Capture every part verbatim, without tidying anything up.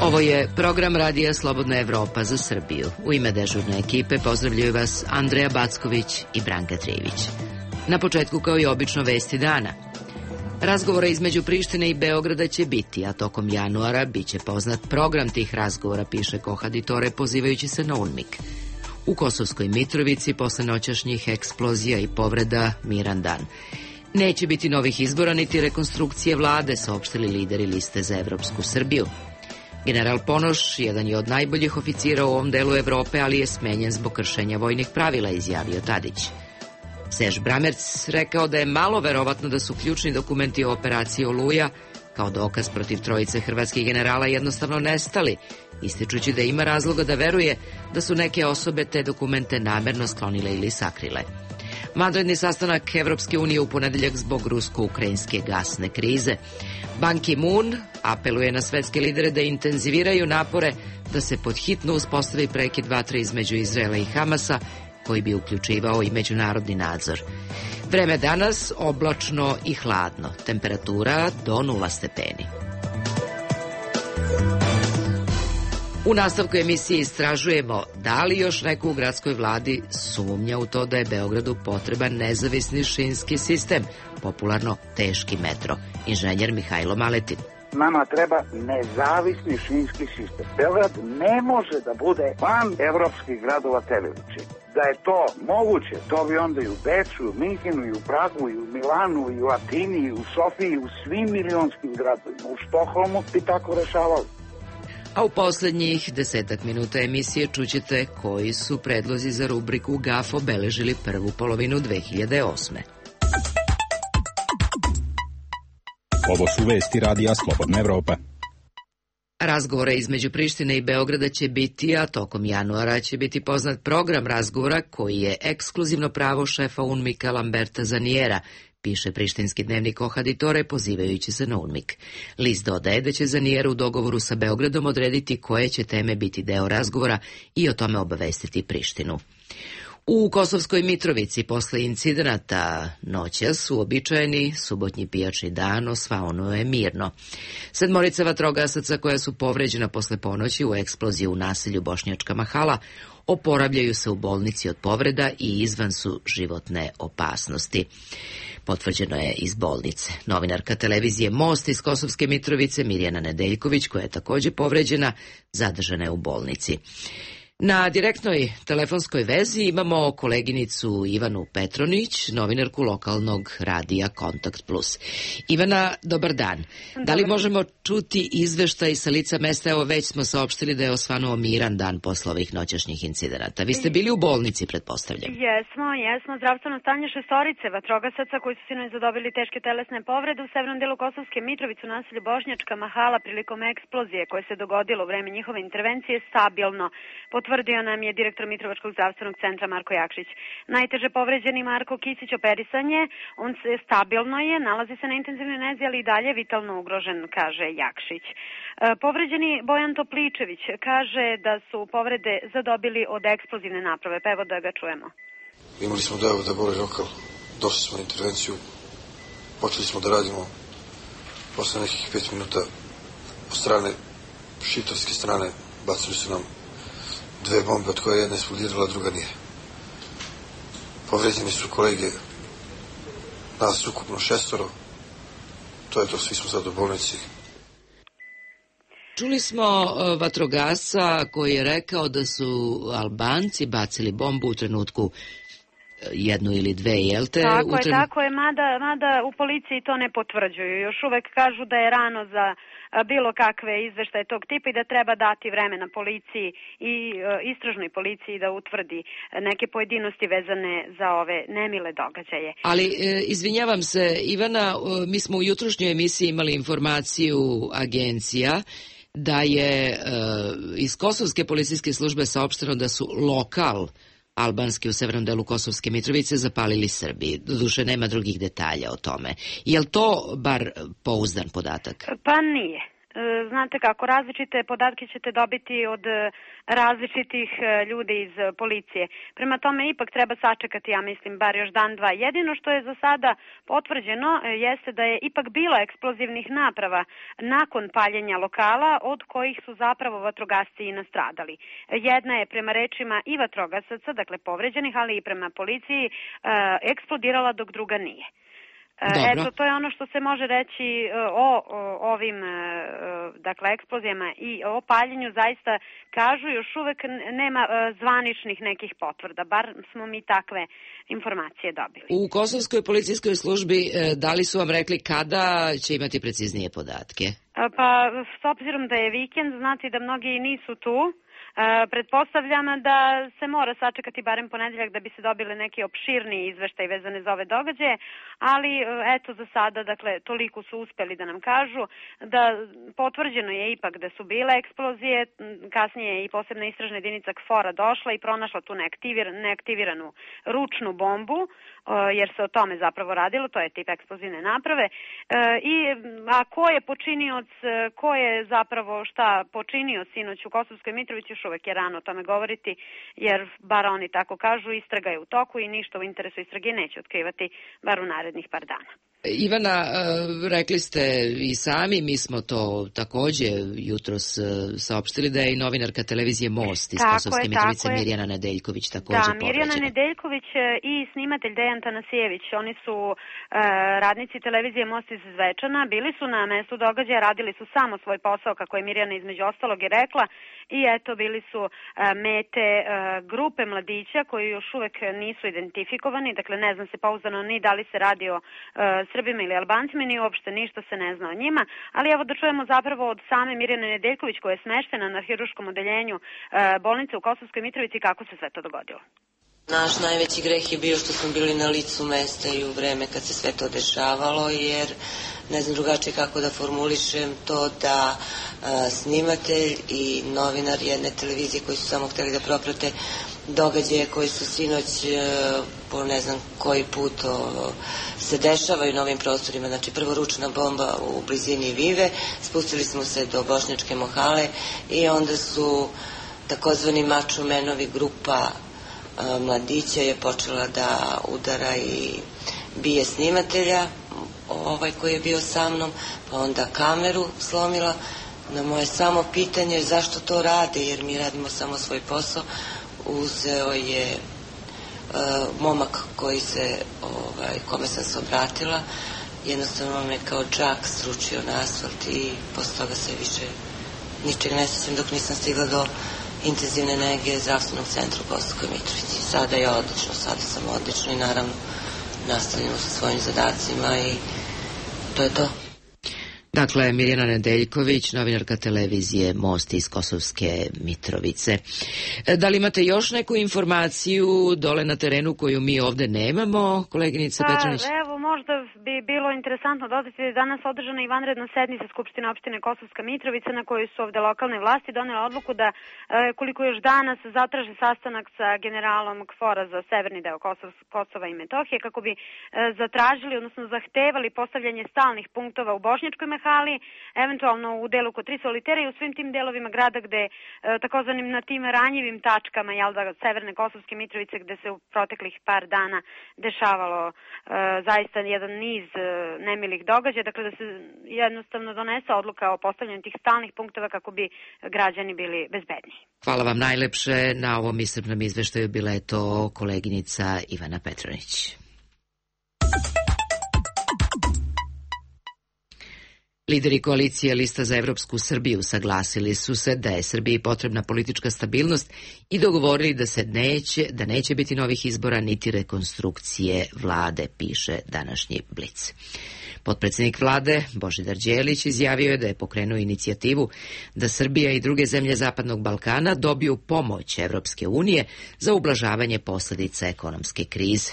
Ovo je program Radija Slobodna Evropa za Srbiju. U ime dežurne ekipe pozdravljaju vas Andreja Backović i Branka Trivić. Na početku, kao i obično, vesti dana. Razgovora između Prištine i Beograda će biti, a tokom januara biće poznat program tih razgovora, piše Kohaditore, pozivajući se na UNMIK. U Kosovskoj Mitrovici posle noćašnjih eksplozija i povreda miran dan. Neće biti novih izbora niti rekonstrukcije vlade, saopštili lideri liste za evropsku Srbiju. General Ponoš, jedan je od najboljih oficira u ovom delu Evrope, ali je smenjen zbog kršenja vojnih pravila, izjavio Tadić. Serž Bramerc rekao da je malo verovatno da su ključni dokumenti o operaciji Oluja, kao dokaz protiv trojice hrvatskih generala, jednostavno nestali, ističući da ima razloga da veruje da su neke osobe te dokumente namerno sklonile ili sakrile. Vanredni sastanak Evropske unije u ponedeljak zbog rusko-ukrajinske gasne krize. Ban Ki-moon apeluje na svetske lidere da intenziviraju napore da se pod hitno uspostavi prekid vatre između Izraela i Hamasa, koji bi uključivao i međunarodni nadzor. Vreme danas oblačno i hladno, temperatura do nula stepeni. U nastavku emisije istražujemo da li još neko u gradskoj vladi sumnja u to da je Beogradu potreban nezavisni šinski sistem, popularno teški metro. Inženjer Mihajlo Maletin. Nama treba nezavisni šinski sistem. Beograd ne može da bude van evropskih gradova te veličine. Da je to moguće, to bi onda i u Beču, i u Minhenu, i u Pragu, i u Milanu, i u Atini, i u Sofiji, i u svim milionskim gradovima. U Štokholmu bi tako rešavali. A u poslednjih desetak minuta emisije čućete koji su predlozi za rubriku G A F obeležili prvu polovinu dve hiljade osme. Ovo su vesti Radija Slobodna Evropa. Razgovora između Prištine i Beograda će biti, a tokom januara će biti poznat program razgovora koji je ekskluzivno pravo šefa UNMIK-a Lamberta Zanijera, piše prištinski dnevnik Kohaditore, pozivajući se na UNMIK. List dodaje da će Zanijer u dogovoru sa Beogradom odrediti koje će teme biti deo razgovora i o tome obavestiti Prištinu. U Kosovskoj Mitrovici posle incidenata noćas uobičajeni subotnji pijačni dan osvanuo je mirno. Sedmorica vatrogasaca koja su povređena posle ponoći u eksploziji u naselju Bošnjačka Mahala oporavljaju se u bolnici od povreda i izvan su životne opasnosti. Potvrđeno je iz bolnice. Novinarka televizije Most iz Kosovske Mitrovice Mirjana Nedeljković, koja je takođe povređena, zadržana je u bolnici. Na direktnoj telefonskoj vezi imamo koleginicu Ivanu Petronić, novinarku lokalnog radija Kontakt Plus. Ivana, dobar dan. Dobar. Da li možemo čuti izveštaj sa lica mesta? Evo, već smo saopštili da je osvanuo miran dan posle ovih noćašnjih incidenata. Vi ste bili u bolnici, pretpostavljam. Jesmo, jesmo. Zdravstveno stanje šestorice vatrogasaca koji su sinoć zadobili teške telesne povrede u severnom delu Kosovske Mitrovice u naselju Bošnjačka Mahala prilikom eksplozije koje se dogodilo u vreme njihove intervencije stabilno. Potvrdio nam je direktor Mitrovačkog zdravstvenog centra Marko Jakšić. Najteže povređeni Marko Kisić operisan je, on se stabilno je, nalazi se na intenzivnoj nezi, ali i dalje vitalno ugrožen, kaže Jakšić. E, povređeni Bojan Topličević kaže da su povrede zadobili od eksplozivne naprave, pa evo da ga čujemo. Imali smo dojavu da boli lokal, došli smo na intervenciju, počeli smo da radimo, posle nekih pet minuta od strane, šiptarske strane, bacili su nam dve bombe, od koje jedna eksplodirala, druga nije. Povređeni su kolege, nas ukupno šestoro, to je to, svi smo sad u bolnici. Čuli smo vatrogasca koji je rekao da su Albanci bacili bombu u trenutku jednu ili dve, jel te? Tako je, tren... tako je, mada, mada u policiji to ne potvrđuju. Još uvek kažu da je rano za bilo kakve izveštaje tog tipa i da treba dati vremena policiji i istražnoj policiji da utvrdi neke pojedinosti vezane za ove nemile događaje. Ali, izvinjavam se, Ivana, mi smo u jutrošnjoj emisiji imali informaciju agencija da je iz Kosovske policijske službe saopšteno da su lokal albanski u severnom delu Kosovske Mitrovice zapalili Srbiji. Doduše, nema drugih detalja o tome. Je li to bar pouzdan podatak? Pa nije. znate kako, različite podatke ćete dobiti od različitih ljudi iz policije. Prema tome ipak treba sačekati, ja mislim, bar još dan, dva. Jedino što je za sada potvrđeno jeste da je ipak bilo eksplozivnih naprava nakon paljenja lokala, od kojih su zapravo vatrogasci i nastradali. Jedna je prema rečima i vatrogasaca, dakle povređenih, ali i prema policiji, eksplodirala dok druga nije. Dobro. Eto, to je ono što se može reći o, o ovim dakle, eksplozijama i o paljenju. Zaista kažu, još uvek nema zvaničnih nekih potvrda, bar smo mi takve informacije dobili. U kosovskoj policijskoj službi da li su vam rekli kada će imati preciznije podatke? Pa, s obzirom da je vikend, znate da mnogi nisu tu. Uh, pretpostavljam da se mora sačekati barem ponedeljak da bi se dobili neki opširniji izveštaj vezane za ove događaje, ali uh, eto za sada, dakle, toliko su uspeli da nam kažu da potvrđeno je ipak da su bile eksplozije, kasnije je i posebna istražna jedinica KFOR-a došla i pronašla tu neaktivir, neaktiviranu ručnu bombu, uh, jer se o tome zapravo radilo, to je tip eksplozivne naprave, uh, i a ko je počinioc, ko je zapravo šta počinio sinoć u Kosovskoj Mitrovici, još uvek je rano o tome govoriti, jer bar oni tako kažu, istraga je u toku i ništa u interesu istrage neće otkrivati bar u narednih par dana. Ivana, rekli ste i sami, mi smo to takođe jutros saopštili da je i novinarka televizije Most iz Kosovske Mitrovice Mirjana Nedeljković takođe povređena. Da, Mirjana Nedeljković i snimatelj Dejan Tanasijević, oni su uh, radnici televizije Most iz Zvečana, bili su na mestu događaja, radili su samo svoj posao, kako je Mirjana između ostalog i rekla, i eto bili su uh, mete uh, grupe mladića koji još uvek nisu identifikovani, dakle ne zna se pouzdano ni da li se radi o uh, Srbima ili Albancima, ni uopšte ništa se ne zna o njima, ali evo da čujemo zapravo od same Mirjane Nedeljković koja je smeštena na hirurškom odeljenju uh, bolnice u Kosovskoj Mitrovici, kako se sve to dogodilo. Naš najveći greh je bio što smo bili na licu mesta i u vreme kad se sve to dešavalo, jer ne znam drugačije kako da formulišem to da a, snimatelj i novinar jedne televizije koji su samo hteli da proprate događaje koji su sinoć a, po ne znam koji put o, se dešavaju na ovim prostorima. Znači prvo ručna bomba u blizini Vive, spustili smo se do Bošnjačke Mohale i onda su takozvani mačomenovi grupa mladića je počela da udara i bije snimatelja, ovaj koji je bio sa mnom, pa onda kameru slomila. Na moje samo pitanje zašto to rade, jer mi radimo samo svoj posao, uzeo je uh, momak koji se, ovaj, kome sam se obratila, jednostavno me kao džak sručio na asfalt i posle toga se više ničeg ne sjećam dok nisam stigla do intenzivne nege zdravstvenog centra u Kosovskoj Mitrovici. Sada je odlično, sada sam odlično i naravno nastavljamo sa svojim zadacima i to je to. Dakle, Mirjana Nedeljković, novinarka televizije Most iz Kosovske Mitrovice. Da li imate još neku informaciju dole na terenu koju mi ovde nemamo, koleginice pa, Petronić? Evo, možda bi bilo interesantno dodati da je danas održana i vanredna sednica Skupštine opštine Kosovska Mitrovica na kojoj su ovde lokalne vlasti donele odluku da e, koliko još danas zatraže sastanak sa generalom KFOR-a za severni deo Kosov, Kosova i Metohije kako bi e, zatražili, odnosno zahtevali postavljanje stalnih punktova u Bošnjačkoj Mehali, eventualno u delu kod tri solitera i u svim tim delovima grada gde e, takozvanim na tim ranjivim tačkama, jel da, severne Kosovske Mitrovice gde se u proteklih par dana dešavalo e, zaista jedan niz e, nemilih događaja, dakle da se jednostavno donese odluka o postavljanju tih stalnih punktova kako bi građani bili bezbedniji. Hvala vam najlepše na ovom iscrpnom izveštaju, bila je to koleginica Ivana Petronić. Lideri koalicije Lista za Evropsku Srbiju saglasili su se da je Srbiji potrebna politička stabilnost i dogovorili da se neće, da neće biti novih izbora niti rekonstrukcije vlade, piše današnji Blic. Potpredsednik vlade Božidar Đelić izjavio je da je pokrenuo inicijativu da Srbija i druge zemlje Zapadnog Balkana dobiju pomoć Evropske unije za ublažavanje posledica ekonomske krize.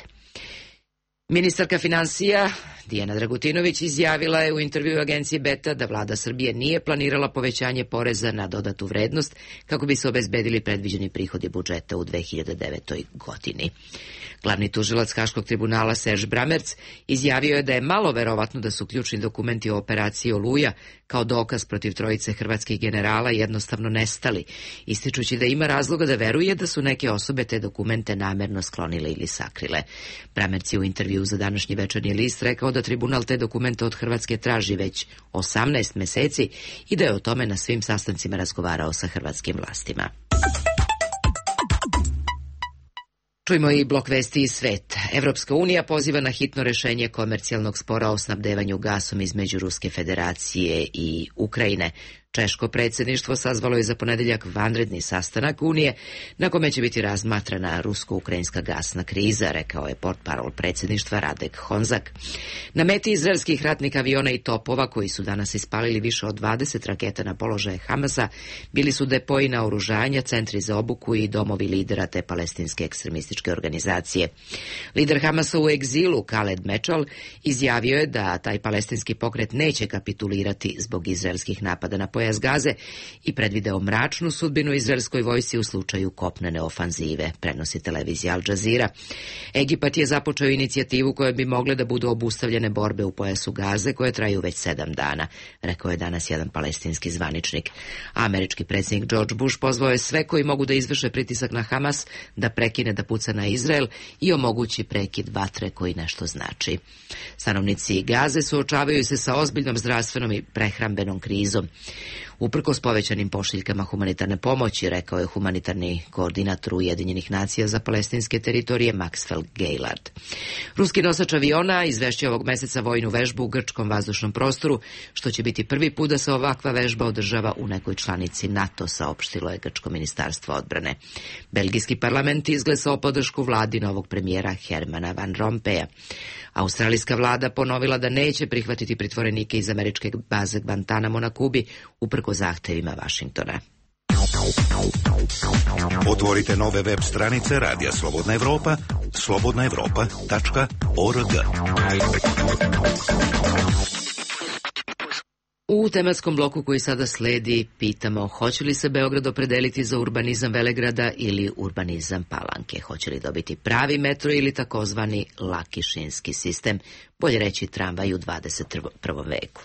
Ministarka finansija Dijana Dragutinović izjavila je u intervjuu agencije Beta da vlada Srbije nije planirala povećanje poreza na dodatu vrednost kako bi se obezbedili predviđeni prihodi budžeta u dve hiljade devetoj. godini. Glavni tužilac Haškog tribunala Serž Bramerc izjavio je da je malo verovatno da su ključni dokumenti o operaciji Oluja kao dokaz protiv trojice hrvatskih generala jednostavno nestali, ističući da ima razloga da veruje da su neke osobe te dokumente namerno sklonile ili sakrile. Bramerc je u intervjuu za današnji Večernji list rekao da tribunal te dokumente od Hrvatske traži već osamnaest meseci i da je o tome na svim sastancima razgovarao sa hrvatskim vlastima. Čujmo i blok vesti iz sveta. Evropska unija poziva na hitno rešenje komercijalnog spora o snabdevanju gasom između Ruske federacije i Ukrajine. Češko predsjedništvo sazvalo je za ponedeljak vanredni sastanak Unije na kome će biti razmatrana rusko-ukrajinska gasna kriza, rekao je portparol predsjedništva Radek Honzak. Na meti izraelskih ratnih aviona i topova koji su danas ispalili više od dvadeset raketa na položaje Hamasa bili su depoji naoružanja, centri za obuku i domovi lidera te palestinske ekstremističke organizacije. Lider Hamasa u egzilu Khaled Mečal izjavio je da taj palestinski pokret neće kapitulirati zbog izraelskih napada na pojas Gaze i predvideo mračnu sudbinu izraelskoj vojsci u slučaju kopnene ofanzive, prenosi televizija Al Jazeera. Egipat je započeo inicijativu koje bi mogle da budu obustavljene borbe u pojasu Gaze koje traju već sedam dana, rekao je danas jedan palestinski zvaničnik. Američki predsjednik George Bush pozvao je sve koji mogu da izvrše pritisak na Hamas da prekine da puca na Izrael i omogući prekid vatre koji nešto znači. Stanovnici Gaze suočavaju se sa ozbiljnom zdravstvenom i prehrambenom krizom. Uprkos povećanim pošiljkama humanitarne pomoći, rekao je humanitarni koordinator Ujedinjenih nacija za palestinske teritorije Maxwell Gaylard. Ruski nosač aviona izvešće ovog meseca vojnu vežbu u grčkom vazdušnom prostoru, što će biti prvi put da se ovakva vežba održava u nekoj članici NATO, saopštilo je grčko ministarstvo odbrane. Belgijski parlament izglasao podršku vladi novog premijera Hermana Van Rompuya. Australijska vlada ponovila da neće prihvatiti pritvorenike iz američke baze Guantanamo na Kubi, uprko zahtevima Vašingtona. Otvorite nove web stranice Radija Slobodna Evropa, slobodna evropa tačka org. U tematskom bloku koji sada sledi pitamo hoće li se Beograd opredeliti za urbanizam Velegrada ili urbanizam Palanke, hoće li dobiti pravi metro ili takozvani lakišinski sistem, bolje reći tramvaj u dvadeset prvom veku.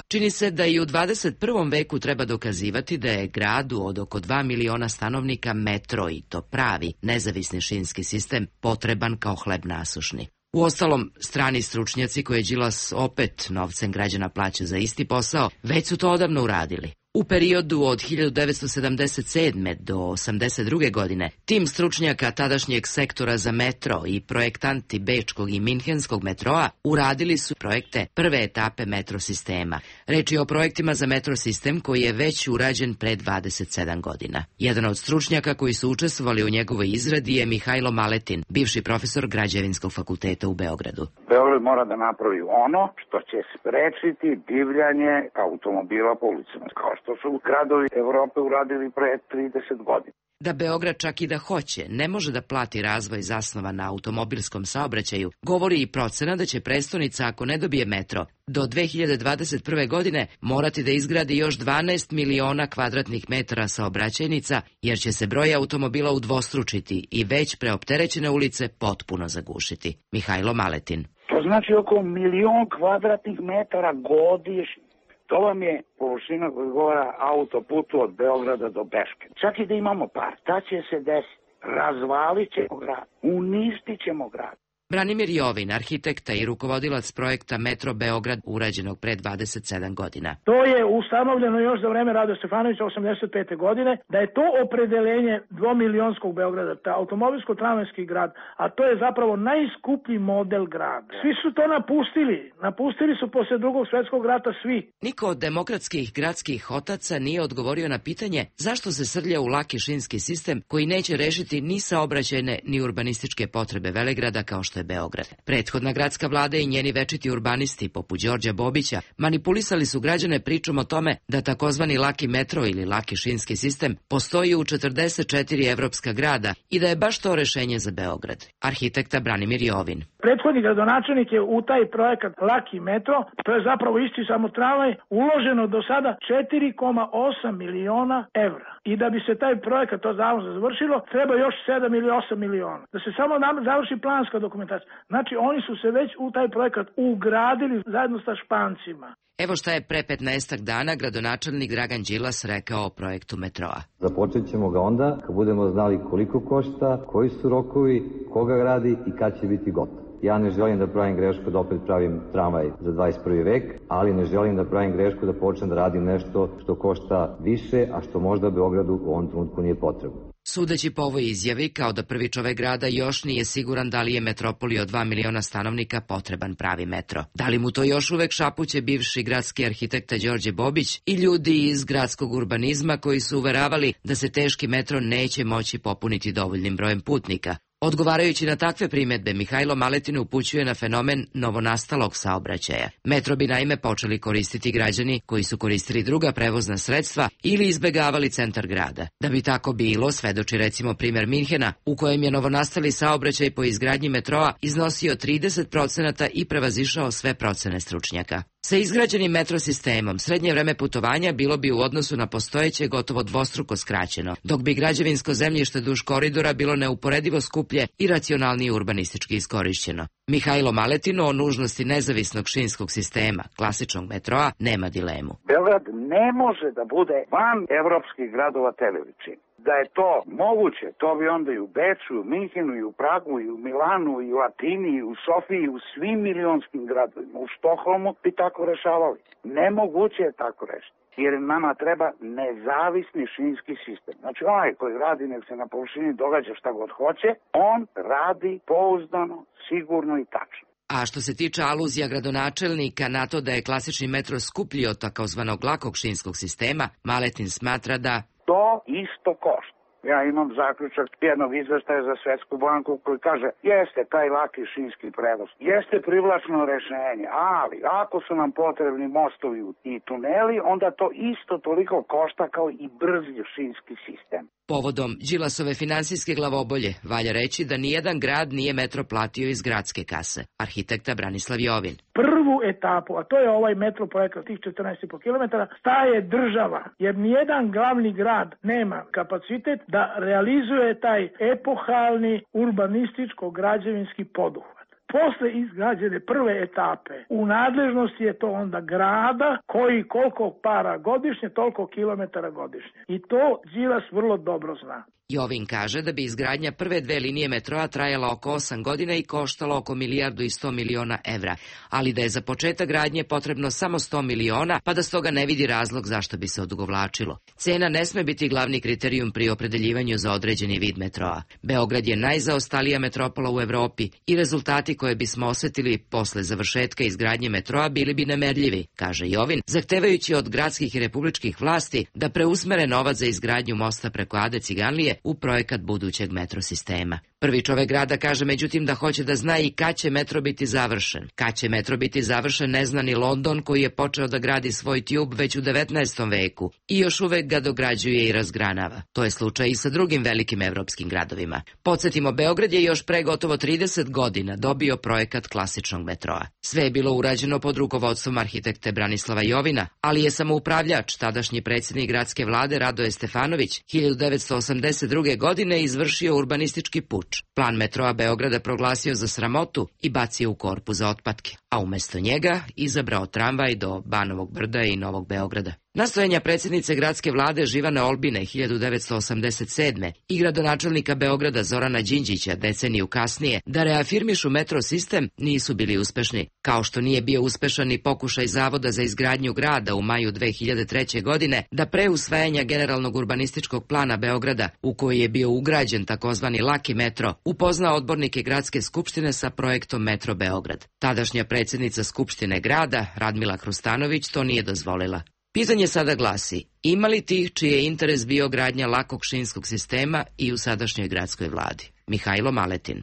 Čini se da i u dvadeset prvom veku treba dokazivati da je gradu od oko dva miliona stanovnika metro i to pravi, nezavisni šinski sistem potreban kao hleb nasušni. Uostalom, strani stručnjaci koje Đilas opet novcem građana plaća za isti posao, već su to odavno uradili. U periodu od hiljadu devetsto sedamdeset sedme do osamdeset druge godine, tim stručnjaka tadašnjeg sektora za metro i projektanti bečkog i minhenskog metroa uradili su projekte prve etape metro sistema. Reč je o projektima za metro sistem koji je već urađen pre dvadeset sedam godina. Jedan od stručnjaka koji su učestvovali u njegovoj izradi je Mihajlo Maletin, bivši profesor Građevinskog fakulteta u Beogradu. Beograd mora da napravi ono što će sprečiti divljanje automobila po ulicama, kao što su gradovi Evrope uradili pre trideset godina. Da Beograd čak i da hoće, ne može da plati razvoj zasnovan na automobilskom saobraćaju, govori i procena da će prestonica, ako ne dobije metro, do dve hiljade dvadeset prve. godine morati da izgradi još dvanaest miliona kvadratnih metara saobraćajnica, jer će se broj automobila udvostručiti i već preopterećene ulice potpuno zagušiti. Mihajlo Maletin. To znači oko milion kvadratnih metara godišnje. To vam je površina koja govara autoputu od Beograda do Beške. Čak i da imamo par, šta će se desiti? Razvalit ćemo grad, uništit ćemo grad. Branimir Jovin, arhitekta i rukovodilac projekta Metro Beograd, urađenog pre dvadeset sedam godina. To je ustanovljeno još za vreme Rade Stefanovića osamdeset pete. godine, da je to opredeljenje dvomilionskog Beograda, ta automobilsko-tramvajski grad, a to je zapravo najskuplji model grada. Svi su to napustili, napustili su posle drugog svjetskog rata svi. Niko od demokratskih gradskih otaca nije odgovorio na pitanje zašto se srlja u laki šinski sistem koji neće rešiti ni saobraćajne ni urbanističke potrebe Velegrada kao što što je Beograd. Prethodna gradska vlada i njeni večiti urbanisti, poput Đorđa Bobića, manipulisali su građane pričom o tome da takozvani laki metro ili laki šinski sistem postoji u četrdeset četiri evropska grada i da je baš to rešenje za Beograd. Arhitekta Branimir Jovin. Prethodni gradonačelnik je u taj projekat laki metro, to je zapravo isti samo tramvaj, uloženo do sada četiri zarez osam miliona evra. I da bi se taj projekat to davno završilo, treba još sedam ili osam miliona. Da se samo završi planska dokumentacija. Znači, oni su se već u taj projekat ugradili zajedno sa Špancima. Evo šta je pre petnaestak dana gradonačelnik Dragan Đilas rekao o projektu metroa. Započet ćemo ga onda kad budemo znali koliko košta, koji su rokovi, koga radi i kad će biti gotov. Ja ne želim da pravim grešku da opet pravim tramvaj za dvadeset prvi vek, ali ne želim da pravim grešku da počnem da radim nešto što košta više, a što možda Beogradu u ovom trenutku nije potrebno. Sudeći po ovoj izjavi, kao da prvi čovek grada još nije siguran da li je metropoli od dva miliona stanovnika potreban pravi metro. Da li mu to još uvek šapuće bivši gradski arhitekta Đorđe Bobić i ljudi iz gradskog urbanizma koji su uveravali da se teški metro neće moći popuniti dovoljnim brojem putnika. Odgovarajući na takve primedbe, Mihajlo Maletin upućuje na fenomen novonastalog saobraćaja. Metro bi naime počeli koristiti građani koji su koristili druga prevozna sredstva ili izbegavali centar grada. Da bi tako bilo, svedoči recimo primer Minhena, u kojem je novonastali saobraćaj po izgradnji metroa iznosio trideset procenata i prevazišao sve procene stručnjaka. Sa izgrađenim metro sistemom srednje vreme putovanja bilo bi u odnosu na postojeće gotovo dvostruko skraćeno, dok bi građevinsko zemljište duž koridora bilo neuporedivo skuplje i racionalnije urbanistički iskorišćeno. Mihajlo Maletin o nužnosti nezavisnog šinskog sistema, klasičnog metroa, nema dilemu. Beograd ne može da bude van evropskih gradova te veličine. Da je to moguće, to bi onda i u Beču, i u Minhenu, i u Pragu, i u Milanu, i u Atini, i u Sofiji, i u svim milionskim gradovima, u Štokholmu bi tako rešavali. Nemoguće je tako rešiti. Jer nama treba nezavisni šinski sistem. Znači onaj koji radi, nek se na površini događa šta god hoće, on radi pouzdano, sigurno i tačno. A što se tiče aluzija gradonačelnika na to da je klasični metro skuplji od takozvanog lakog šinskog sistema, Maletin smatra da to isto košta. Ja imam zaključak jednog izveštaja za Svetsku banku koji kaže jeste taj laki šinski prevoz, jeste privlačno rešenje, ali ako su nam potrebni mostovi i tuneli, onda to isto toliko košta kao i brzi šinski sistem. Povodom Đilasove finansijske glavobolje valja reći da nijedan grad nije metro platio iz gradske kase. Arhitekta Branislav Jovin. Prvu etapu, a to je ovaj metro projekat tih četrnaest i po kilometara, staje država, jer nijedan glavni grad nema kapacitet da realizuje taj epohalni urbanističko-građevinski poduhvat. Posle izgrađene prve etape, u nadležnosti je to onda grada koji koliko para godišnje, toliko kilometara godišnje. I to Đilas vrlo dobro zna. Jovin kaže da bi izgradnja prve dve linije metroa trajala oko osam godina i koštala oko milijardu i sto miliona evra, ali da je za početak gradnje potrebno samo sto miliona, pa da stoga ne vidi razlog zašto bi se odugovlačilo. Cena ne sme biti glavni kriterijum pri opredeljivanju za određeni vid metroa. Beograd je najzaostalija metropola u Evropi i rezultati koje bismo osetili posle završetka izgradnje metroa bili bi nemerljivi, kaže Jovin, zahtevajući od gradskih i republičkih vlasti da preusmere novac za izgradnju mosta preko Ade Ciganlije u projekat budućeg metro sistema. Prvi čovek grada kaže međutim da hoće da zna i kad će metro biti završen. Kad će metro biti završen ne zna ni London koji je počeo da gradi svoj tube već u devetnaestom veku i još uvek ga dograđuje i razgranava. To je slučaj i sa drugim velikim evropskim gradovima. Podsjetimo, Beograd je još pre gotovo trideset godina dobio projekat klasičnog metroa. Sve je bilo urađeno pod rukovodstvom arhitekte Branislava Jovina, ali je samoupravljač, tadašnji predsjednik gradske vlade Radoje Stefanović, hiljadu devetsto osamdeset druge. godine izvršio urbanistički puč. Plan metroa Beograda proglasio za sramotu i bacio u korpu za otpadke, a umesto njega izabrao tramvaj do Banovog brda i Novog Beograda. Nastojanja predsjednice gradske vlade Živane Olbine hiljadu devetsto osamdeset sedme. i gradonačelnika Beograda Zorana Đinđića deceniju kasnije da reafirmišu metro sistem nisu bili uspešni, kao što nije bio uspešan ni pokušaj Zavoda za izgradnju grada u maju dve hiljade treće. godine da pre usvajanja generalnog urbanističkog plana Beograda, u koji je bio ugrađen takozvani laki metro, upozna odbornike gradske skupštine sa projektom Metro Beograd. Tadašnja predsjednica skupštine grada, Radmila Hrustanović, to nije dozvolila. Pitanje sada glasi, ima li tih čiji je interes bio gradnja lakog šinskog sistema i u sadašnjoj gradskoj vladi? Mihajlo Maletin.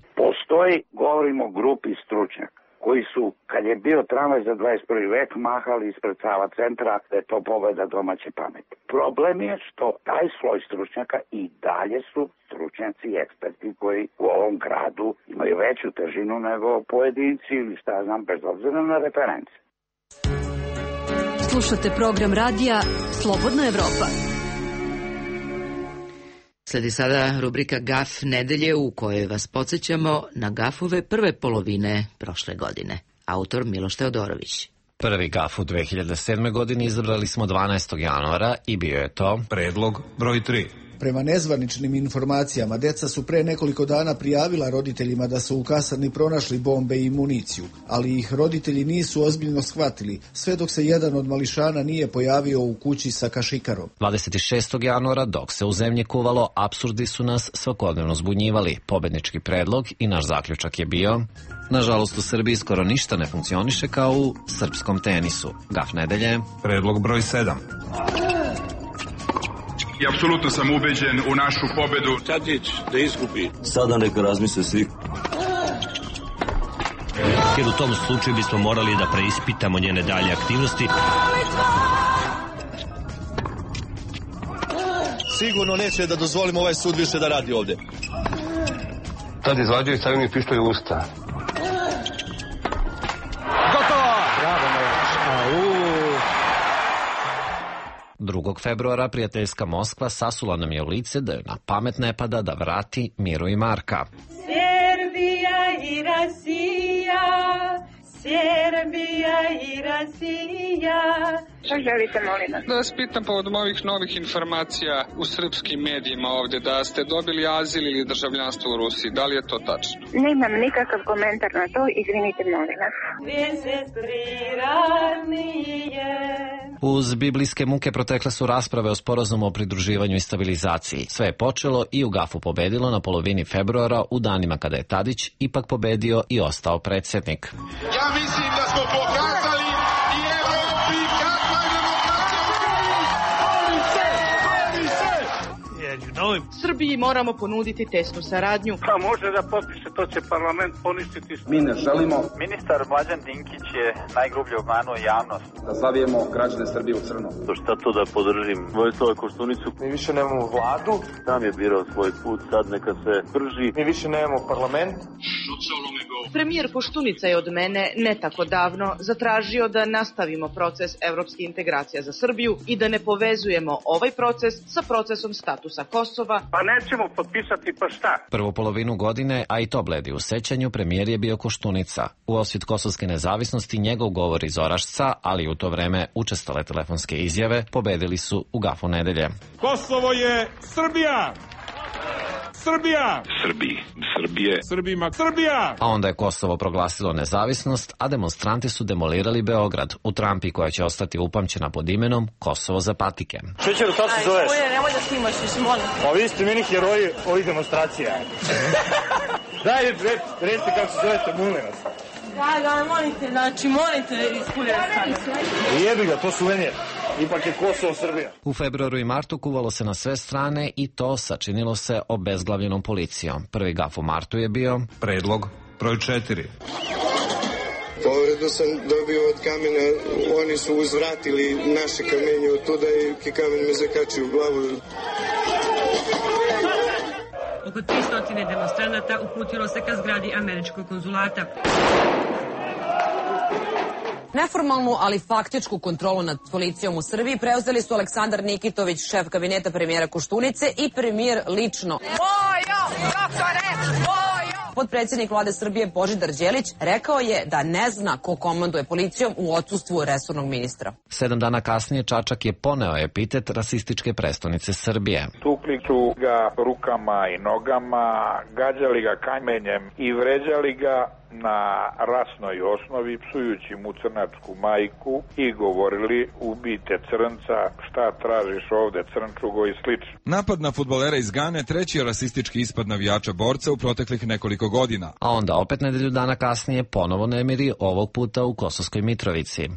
Postoji, govorimo o grupi stručnjaka koji su, kad je bio tramvaj za dvadeset prvi vek, mahali ispred Sava centra da je to pobeda domaće pameti. Problem je što taj sloj stručnjaka i dalje su stručnjaci i eksperti koji u ovom gradu imaju veću težinu nego pojedinci ili šta ja znam, bez obzira na reference. Slušate program radija Slobodna Evropa. Sledi sada rubrika Gaf nedelje u kojoj vas podsjećamo na gafove prve polovine prošle godine. Autor Miloš Teodorović. Prvi gaf u dve hiljade sedme. godini izabrali smo dvanaestog januara i bio je to predlog broj tri. Prema nezvaničnim informacijama, deca su pre nekoliko dana prijavila roditeljima da su u kasarni pronašli bombe i municiju, ali ih roditelji nisu ozbiljno shvatili, sve dok se jedan od mališana nije pojavio u kući sa kašikarom. dvadeset šestog januara, dok se u zemlji kuvalo, apsurdi su nas svakodnevno zbunjivali. Pobednički predlog i naš zaključak je bio: nažalost, u Srbiji skoro ništa ne funkcioniše kao u srpskom tenisu. Gaf nedelje. Predlog broj sedam. I apsolutno sam ubeđen u našu pobedu. Tadić da izgubi. Sada neka razmisle svi. Jer u tom slučaju bismo morali da preispitamo njene dalje aktivnosti. Sigurno neće da dozvolimo ovaj sud više da radi ovde. Tad izvađaju i stavio mi pištolj u usta. Gotovo! Bravo, Majač. drugog februara prijateljska Moskva sasula nam je u lice da joj na pamet ne pada da vrati Miru i Marka. Serbija i Rasija, Serbija i Rasija. Šta želite, molim vas? Da vas pitam povodom ovih novih informacija u srpskim medijima ovde, da ste dobili azil ili državljanstvo u Rusiji. Da li je to tačno? Nemam nikakav komentar na to, izvinite, molim vas. Uz biblijske muke protekle su rasprave o sporazumu o pridruživanju i stabilizaciji. Sve je počelo i u gafu pobedilo na polovini februara, u danima kada je Tadić ipak pobedio i ostao predsjednik. Ja mislim da smo pokazali i Evropi kakva je demokracija. Srbiji moramo ponuditi tesnu saradnju. Pa može da potpiše, to će parlament poništiti. Mi ne želimo. Ministar Mlađan Dinkić je najgrublje obmanuo javnost. Da zavijemo građane Srbije u crno. To šta to da podržim? Vojislava Koštunicu. Mi više nemamo vladu. Sam je birao svoj put, sad neka se drži. Mi više nemamo parlament. Premijer Koštunica je od mene ne tako davno zatražio da nastavimo proces evropske integracije za Srbiju i da ne povezujemo ovaj proces sa procesom statusa Kosova. Pa nećemo potpisati, pa šta? Prvu polovinu godine, a i to bledi u sećanju, premijer je bio Koštunica. U osvit kosovske nezavisnosti njegov govor iz Orašca, ali u to vreme učestale telefonske izjave, pobedili su u gafu nedelje. Kosovo je Srbija! Srbija! Srbiji, Srbije, Srbima, Srbija! A onda je Kosovo proglasilo nezavisnost, a demonstranti su demolirali Beograd u trampi koja će ostati upamćena pod imenom Kosovo za patike. Šećeru, kako se zoveš? Aj, nemoj da snimaš, više molim. Pa vi ste meni heroji ovih demonstracija. Daj, recite kako se zovete, molim vas. Da, da, molite, znači, molite, iskuljati. Jebi ga, to suvenir. Ipak je Kosovo Srbija. U februaru i martu kuvalo se na sve strane i to sačinilo se obezglavljenom policijom. Prvi gaf u martu je bio predlog broj četiri. Povredu sam dobio od kamena, oni su uzvratili naše kamenje od tuda i kamen me zakačio u glavu. Oko tristo demonstranata uputilo se ka zgradi američkog konzulata. Neformalnu, ali faktičku kontrolu nad policijom u Srbiji preuzeli su Aleksandar Nikitović, šef kabineta premijera Koštunice, i premijer lično. Bojo, doktore, bojo! Potpredsjednik vlade Srbije Božidar Đelić rekao je da ne zna ko komanduje policijom u odsustvu resornog ministra. Sedam dana kasnije Čačak je poneo epitet rasističke prestonice Srbije. Tukli su ga rukama i nogama, gađali ga kamenjem i vređali ga na rasnoj osnovi, psujući mu crnačku majku i govorili ubijte crnca, šta tražiš ovde crnčugo i slično. Napad na fudbalera iz Gane treći je rasistički ispad navijača borca u proteklih nekoliko godina. A onda opet nedelju dana kasnije ponovo nemiri, ovog puta u Kosovskoj Mitrovici.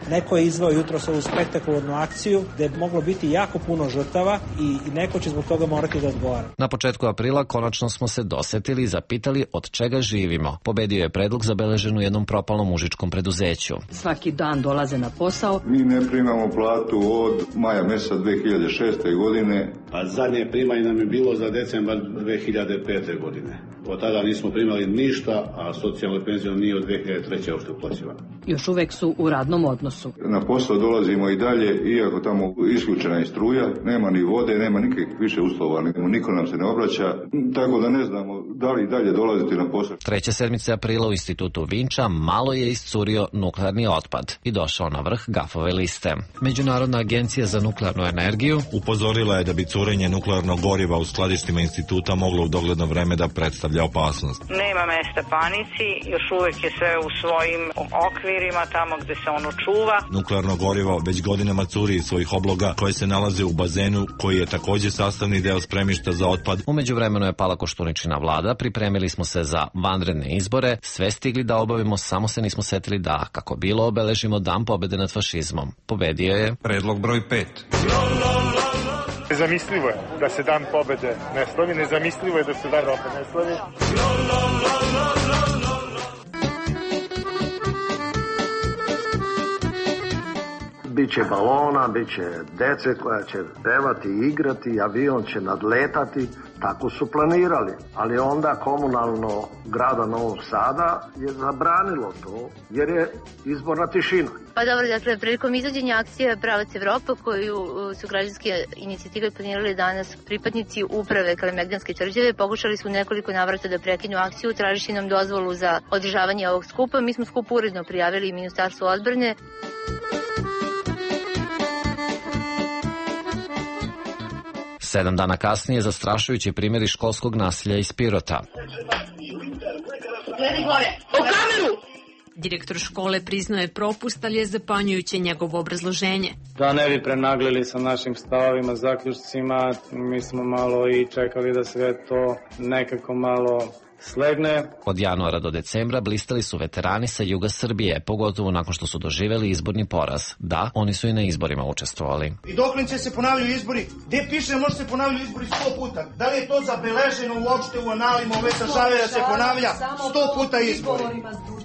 Neko je izveo jutros ovu spektakularnu akciju gde je moglo biti jako puno žrtava i, i neko će zbog toga morati da odgovara. Na početku aprila konačno smo se dosetili i zapitali od čega živimo. Pobedio je predlog zabeležen u jednom propalnom užičkom preduzeću. Svaki dan dolaze na posao. Mi ne primamo platu od maja meseca dve hiljade šeste. godine. A zadnje primanje nam je bilo za decembar dve hiljade pete. godine. Od tada nismo primali ništa, a socijalna penzija nije od dve hiljade treće. uopšte uplaćivana. Još uvek su u radnom odnosu. Na posao dolazimo i dalje, iako tamo isključena je struja, nema ni vode, nema nikakvih više uslova, niko nam se ne obraća, tako da ne znamo da li dalje dolaziti na posao. Treće sedmice aprila u institutu Vinča malo je iscurio nuklearni otpad i došao na vrh gafove liste. Međunarodna agencija za nuklearnu energiju upozorila je da bi curenje nuklearnog goriva u skladištima instituta moglo u dogledno vreme da predstavlja opasnost. Nema mesta panici, još uvek je sve u svojim okvirima tamo gde se ono čuva. Nuklearno gorivo već godinama curi iz svojih obloga koje se nalaze u bazenu koji je takođe sastavni deo spremišta za otpad. U međuvremenu je pala Koštuničina vlada, pripremili smo se za vanredne izbore, sve stigli da obavimo, samo se nismo setili da, kako bilo, obeležimo dan pobede nad fašizmom. Pobedio je predlog broj pet. Nezamislivo je da se dan pobede ne slavi, nezamislivo je da se dan opet ne slavi. Biće balona, biće dece koja će pevati, igrati, avion će nadletati, tako su planirali. Ali onda komunalno grada Novog Sada je zabranilo to jer je izborna tišina. Pa dobro, dakle, prilikom izvođenja akcije Pravac Evropa koju su građanske inicijative planirali danas pripadnici uprave Kalemegdanske tvrđave, pokušali su nekoliko navrata da prekinu akciju, tražeći nam dozvolu za održavanje ovog skupa. Mi smo skup uredno prijavili Ministarstvu odbrane. Sedam dana kasnije zastrašujući primjeri školskog nasilja iz Pirota. Gledaj gore, u kameru! Direktor škole priznao je propust, ali je zapanjujuće njegovo obrazloženje. Da ne bi prenaglili sa našim stavovima, zaključcima, mi smo malo i čekali da sve to nekako malo slegne. Od januara do decembra blistali su veterani sa juga Srbije, pogotovo nakon što su doživjeli izborni poraz. Da, oni su i na izborima učestvovali. I dokle će se ponavljaju izbori? Gde piše može se ponavljaju izbori sto puta? Da li je to zabeleženo uopšte u analima ove države da se ponavlja sto puta izbori?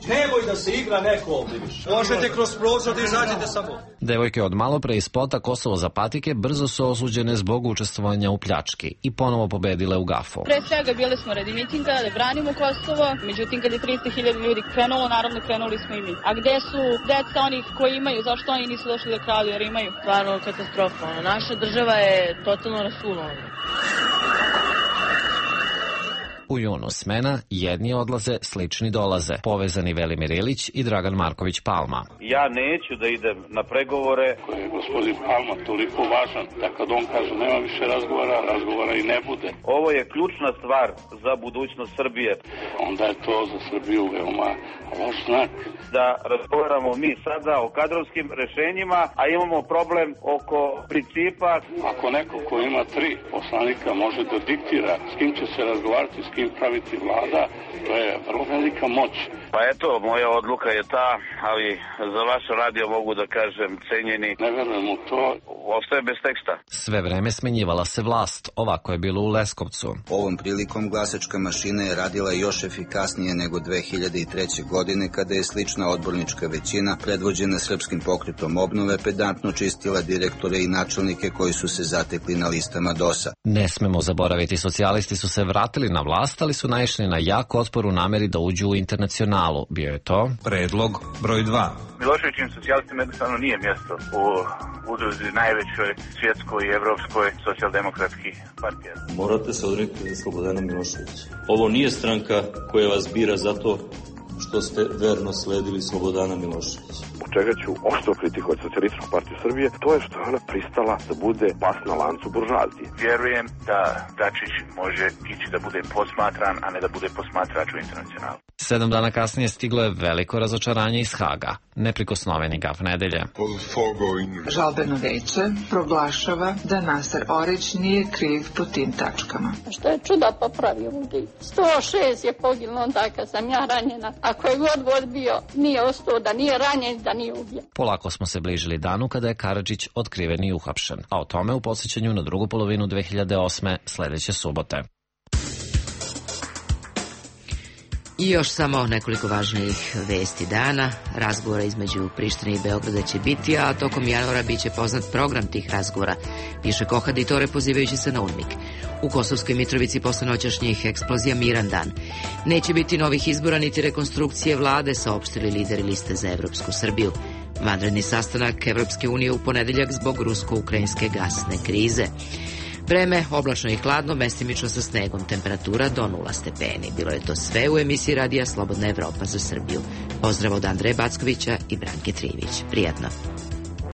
Nemoj da se igra neko ovdje više. Možete kroz prozor da izađete samo. Devojke od malo pre iz spota Kosovo za patike brzo su osuđene zbog učestvovanja u pljački i ponovo pobedile u gafu. Pre svega bili smo radi mitinga da branimo Kosovo, međutim kad je tristo hiljada ljudi krenulo, naravno krenuli smo i mi. A gde su deca onih koji imaju, zašto oni nisu došli da kralju jer imaju? Stvarno katastrofa, naša država je totalno rasulovana. U junu smena, jedni odlaze, slični dolaze. Povezani Velimir Ilić i Dragan Marković Palma. Ja neću da idem na pregovore. Koji je gospodin Palma toliko važan da kad on kaže nema više razgovora, razgovora i ne bude. Ovo je ključna stvar za budućnost Srbije. Onda je to za Srbiju veoma loš znak. Da razgovaramo mi sada o kadrovskim rešenjima, a imamo problem oko principa. Ako neko ko ima tri poslanika može da diktira s kim će se razgovarati, s kim praviti vlada, to je vrlo velika moć. Pa eto, moja odluka je ta, ali za vaš radio mogu da kažem cenjeni. Ne verujem u to. Ostaje bez teksta. Sve vreme smenjivala se vlast, ovako je bilo u Leskovcu. Ovom prilikom glasačka mašina je radila još efikasnije nego dve hiljade treće. godine kada je slična odbornička većina predvođena Srpskim pokretom obnove pedantno čistila direktore i načelnike koji su se zatekli na listama dosa. Ne smemo zaboraviti, socijalisti su se vratili na vlast, ali su naišli na jak otpor u nameri da uđu u Internacionalu. Bio je to predlog broj dva. Miloševićim socijalistima jednostavno nije mjesto u udruzi najvećoj svjetskoj i evropskoj socijaldemokratskih partija. Morate se odreknuti Slobodana Miloševića. Ovo nije stranka koja vas bira zato što ste verno sledili Slobodana Miloševića. U čega ću oštro kritikovati Socijalističku partiju Srbije, to je što je ona pristala da bude pas na lancu buržoazije. Vjerujem da Dačić može ići da bude posmatran, a ne da bude posmatrač u Internacionalu. Sedam dana kasnije stiglo je veliko razočaranje iz Haga. Neprikosnoveni gaf nedelje. Žalbeno veće proglašava da Naser Orić nije kriv po tim tačkama. Što je čuda popravio ljudi. sto šest je poginulo onda kad sam ja ranjena, a koji god voz bio, nije ostao da nije ranjen, da nije ubijen. Polako smo se bližili danu kada je Karadžić otkriven i uhapšen, a o tome u podsjećanju na drugu polovinu dve hiljade osme sledeće subote. I još samo nekoliko važnijih vesti dana. Razgovora između Prištine i Beograda će biti, a tokom januara biće poznat program tih razgovora, piše Kohaditore pozivajući se na UNMIK. U Kosovskoj Mitrovici posle noćašnjih eksplozija miran dan. Neće biti novih izbora niti rekonstrukcije vlade, saopštili lideri liste za Evropsku Srbiju. Vanredni sastanak Evropske unije u ponedeljak zbog rusko-ukrajinske gasne krize. Vreme oblačno i hladno, mestimično sa snegom, temperatura do nula stepeni. Bilo je to sve u emisiji radija Slobodna Evropa za Srbiju. Pozdrav od Andreja Backovića i Branke Trivić. Prijatno.